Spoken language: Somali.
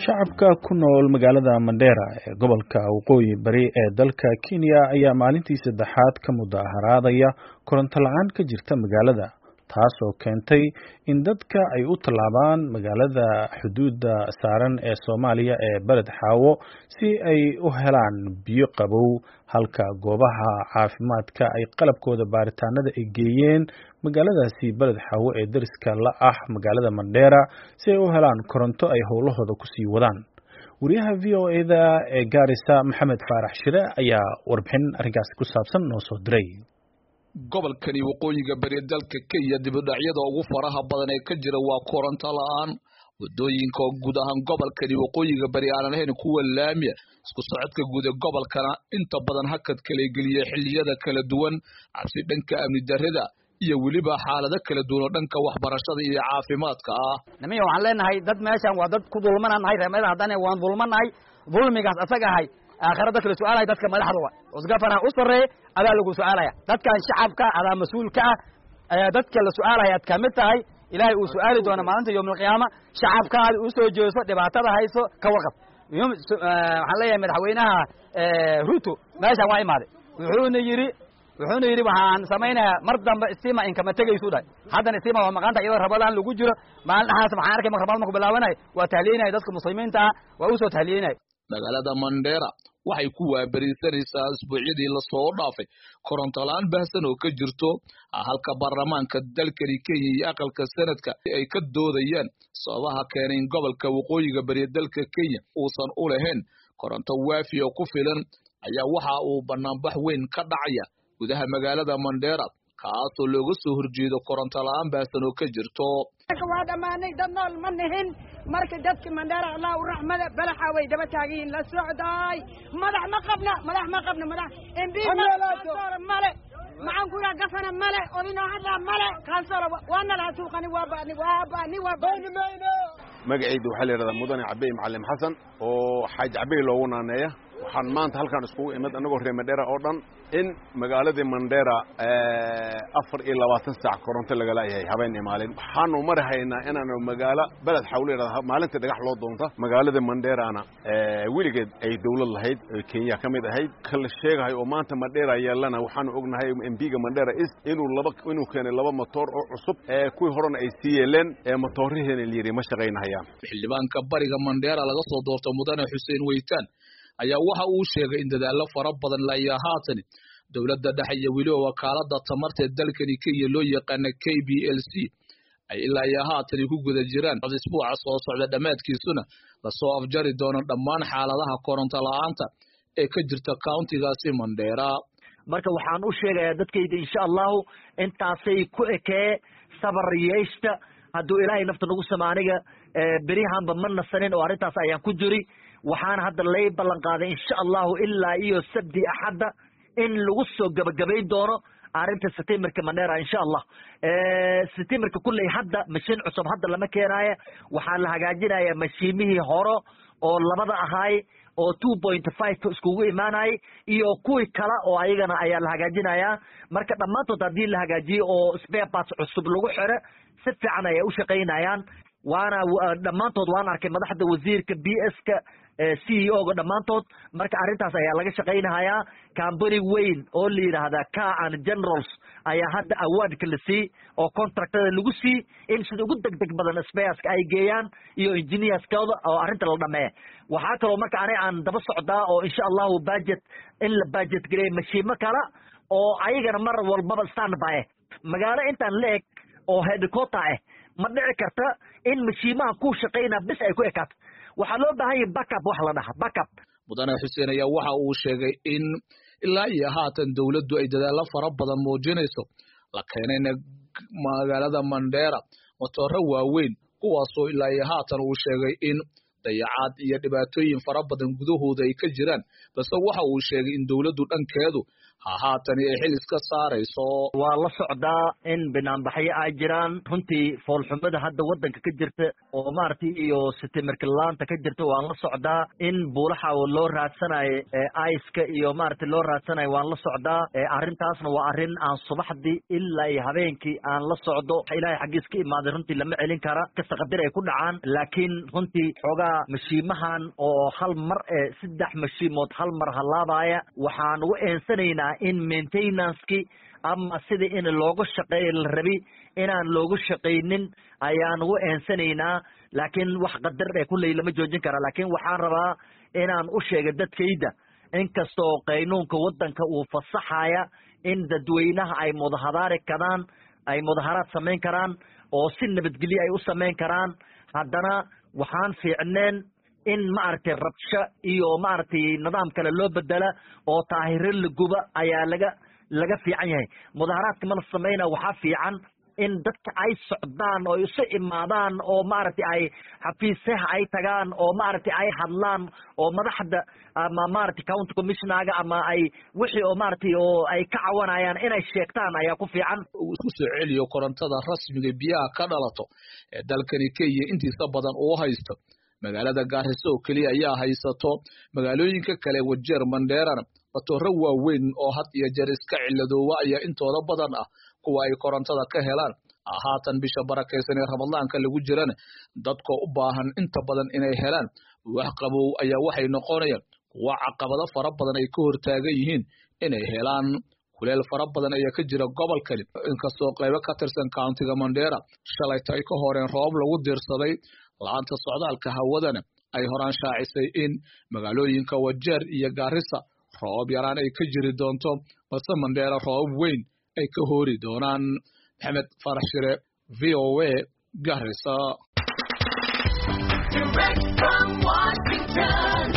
Shacabka ku nool magaalada Mandera ee gobolka Waqooyi Bari ee dalka Kenya ayaa maalintii saddexaad ka mudaharaadaya koronto la'aan ka jirta magaalada, taasoo keentay in dadka ay u tallaabaan magaalada xuduudda saaran ee Soomaaliya ee Beled Xaawo si ay u helaan biyo qabow, halka goobaha caafimaadka ay qalabkooda baaritaanada ay geeyeen magaaladaasi Beled Xaawo ee deriska la ah magaalada Mandera si ay u helaan koronto ay howlahooda ku sii wadaan. Wariyaha VOA-da ee Gaarisa, Maxamed Faarax Shire, ayaa warbixin arrinkaasi ku saabsan noo soo diray. Gobolkani waqooyiga bari dalka Kenya, dibudhacyada ugu faraha badan ee ka jira waa koronto la-aan. Wadooyinka oo guud ahaan gobolkani waqooyiga bari aanan ahayn kuwa laamiya, isku socodka guud ee gobolkana inta badan hakad kala geliya xilliyada kala duwan, cabsi dhanka amni darrida iyo weliba xaalado kala duwan oo dhanka waxbarashada iyo caafimaadka ah. Nimiya, waxaan leenahay dad meeshan waa dad ku dulmananahay. Reemada haddana waan dulmanahay. Dulmigaas asaga ahay aakhira dadka la su-aalaya, dadka madaxda wa usgafana u sarreeya, adaa lagu su-aalaya. Dadkan shacabka adaa mas-uul ka ah, dadka la su-aalaya aad kamid tahay. Ilaahay uu su-aali doona maalinta yowmaalqiyaama. Shacabkaadi usoo jeeso, dhibaatada hayso ka warqab. Waxaan leeyahay madaxweynaha Ruto meeshan waa imaaday, wuxuuna yidhi waxaan samaynayaa mar dambe stima inkama tegaysu dhahay. Haddana stima waa maqanta iyadoo Ramadaan lagu jiro. Maalin dhaxaas waxaan arkay marka Ramadaan marku bilaabanay, waa tahliyeynaya dadka muslimiinta ah, waa usoo tahliyeynaya. Magaalada Mandera waxay ku waaberisanaysaa isbuucyadii lasoo dhaafay koronto la-aan baahsan oo ka jirto, halka baarlamaanka dalkani Kenya iyo aqalka sanadka ay ka doodayaan sababaha keenay in gobolka waqooyiga bari dalka Kenya uusan u lahayn koronto waafi oo ku filan. Ayaa waxa uu banaanbax weyn ka dhacaya gudaha magaalada Mandera, kaasoo looga soo horjeedo koronto la-aan baahsan oo ka jirto. Waa dhammaanay, dad nool ma nihin. Marka dadki Mandheera, Allah u raxmada, balaxa way daba taagan yihiin la socdaay. Madax ma qabna, madax ma qabna, madax MP male, maxaan ku yidhaha, governor male, odinoo hadlaa male, councillor waana laha suuqani, waa ba'ni, waa ba'ni, waa ba'ni. Magacayda waxaa la yidhahdaa Mudane Cabey Macallim Xasan oo Xaaj Cabey loogu naaneeya. Waxaan maanta halkaan iskugu imid annagoo reer Mandheera oo dhan in magaaladii Mandheera 24 saac koronto laga laayahay, habeen iyo maalin. Waxaanu mari haynaa inaanu magaalo Beled Xawlo yidhahda maalinta dhagax loo doonta. Magaalada Mandheerana weligeed ay dawlad lahayd oo Kenya ka mid ahayd kala sheegahay oo maanta Mandheera yeelana. Waxaanu ognahay MP-ga Mandheera East inuu keenay laba motoor oo cusub, kuwii horena ay sii yeeleen, motoorihiina la yidhi ma shaqaynahayaan. Xildhibaanka bariga Mandheera laga soo doorto, Mudane Xuseen Weytaan, ayaa waxa uu sheegay in dadaallo fara badan layaa haatan dowladda dhexe iyo weliba wakaalada tamarta ee dalkani Kenya loo yaqaana KPLC ay ilaa iyo haatan ku guda jiraan, isbuuca soo socda dhammaadkiisuna lasoo afjari doono dhammaan xaaladaha koronto la-aanta ee ka jirta countigaasi Mandheera. Marka waxaan u sheegayaa dadkayda, insha Allahu, intaasay ku ekee, sabar yeeshta. Hadduu Ilaahay nafta nagu sama, aniga berihanba ma nasanin oo arrintaas ayaan ku jiri. Waxaana hadda lay ballan qaaday, insha Allahu, ilaa iyo Sabdi Axadda in lagu soo gabagabayn doono arrinta stimerka Mandera, insha Allah. Stimerka kulley hadda mashiin cusub hadda lama keenaayo. Waxaa la hagaajinaya mashiimihii hore oo labada ahaay oo 2.5 iskugu imaanayay iyo kuwii kale oo ayagana ayaa la hagaajinayaa. Marka dhammaantood haddii la hagaajiyo oo spare parts cusub lagu xiro, si fiican ayay u shaqaynayaan. Waana dhammaantood waan arkay madaxda, wasiirka, PS-ka, CEO ga, dhammaantood. Marka arrintaas ayaa laga shaqaynahayaa. Company weyn oo la yidhaahda Car and Generals ayaa hadda awardka la sii oo contractada lagu sii in sida ugu deg deg badan spareska ay geeyaan iyo engineerskooda oo arrinta la dhameeya. Waxaa kaloo marka aniga aan daba socdaa oo insha Allahu budget in la budget gareeyo mashiimo kale oo ayagana mar walbaba stand by. Magaalo intaan la eg oo headquarter ah ma dhici karta in mashiimaha ku shaqaynaa bis ay ku ekaato. Waxaa loo baahan yahay backup, wax la dhaha backup. Mudane Xuseen ayaa waxa uu sheegay in ilaa iyo haatan dowladdu ay dadaallo fara badan muujinayso, la keenayna magaalada Mandheera motooro waaweyn, kuwaasoo ilaa iyo haatan uu sheegay in dayacaad iyo dhibaatooyin fara badan gudahooda ay ka jiraan, balse waxa uu sheegay in dowladdu dhankeedu Haatani ay xil iska saarayso. Waa la socdaa in banaanbaxyo ay jiraan. Runtii foolxumada hadda waddanka ka jirta oo maaragtay iyo sitimirkilaanta ka jirta waan la socdaa. In buulaxa loo raadsanayo iska iyo maaragtay loo raadsanayo waan la socdaa. Arrintaasna waa arrin aan subaxdii ilaa iyo habeenkii aan la socdo. Ilaahay xaggiis ka imaaday, runtii lama celin kara kasta, qadir ay ku dhacaan. Laakiin runtii xoogaa mashiimahan oo hal mar 3 mashiimood hal mar halaabaya, waxaan ugu eensanaynaa in maintenanceki ama sidii in looga shaqeeyo la rabi inaan loogu shaqaynin ayaan ugu eensanaynaa. Laakiin wax qadar ee kulley lama joojin kara. Laakiin waxaan rabaa inaan u sheega dadkayda, inkastoo qaynuunka waddanka uu fasaxaya in dadweynaha ay mudaharaari karaan, ay mudaharaad samayn karaan oo si nabadgelyo ay u samayn karaan, haddana waxaan fiicneen in maaragtay rabsho iyo maaragtay nidaam kale loo bedela oo taahiro la guba ayaa laga fiican yahay. Mudaharaadka ma la samayna, waxaa fiican in dadka ay socdaan oo isu imaadaan oo maaragtay ay xafiisaha ay tagaan oo maaragtay ay hadlaan oo madaxda ama maaragtay county commissionerga ama ay wixii oo maaragtay oo ay ka cawanayaan inay sheegtaan ayaa ku fiican. Uu isku soo celiyo korontada rasmiga biyaha ka dhalato ee dalkani Kenya intiisa badan uu haysto. Magaalada Gaarisa oo keliya ayaa haysato, magaalooyinka kale Wajeer, Mandheerana matooro waaweyn oo had iyo jeer iska ciladoowa ayaa intooda badan ah kuwa ay korontada ka helaan. Haatan bisha barakaysan ee Ramadaanka lagu jirana, dadka u baahan inta badan inay helaan wax qabow ayaa waxay noqonayaan kuwa caqabado fara badan ay ka hortaagan yihiin inay helaan. Kuleel fara badan ayaa ka jira gobolkani, inkastoo qaybo ka tirsan countiga Mandheera shalayta ay ka horeen roobab lagu diirsaday. La'aanta socdaalka hawadana ay horaan shaacisay in magaalooyinka Wajeer iyo Gaarisa roobab yaraan ay ka jiri doonto, balse Mandheera roobab weyn ay ka hoori doonaan. Maxamed Farax Shire, VOA, Garissa. Direct from Washington.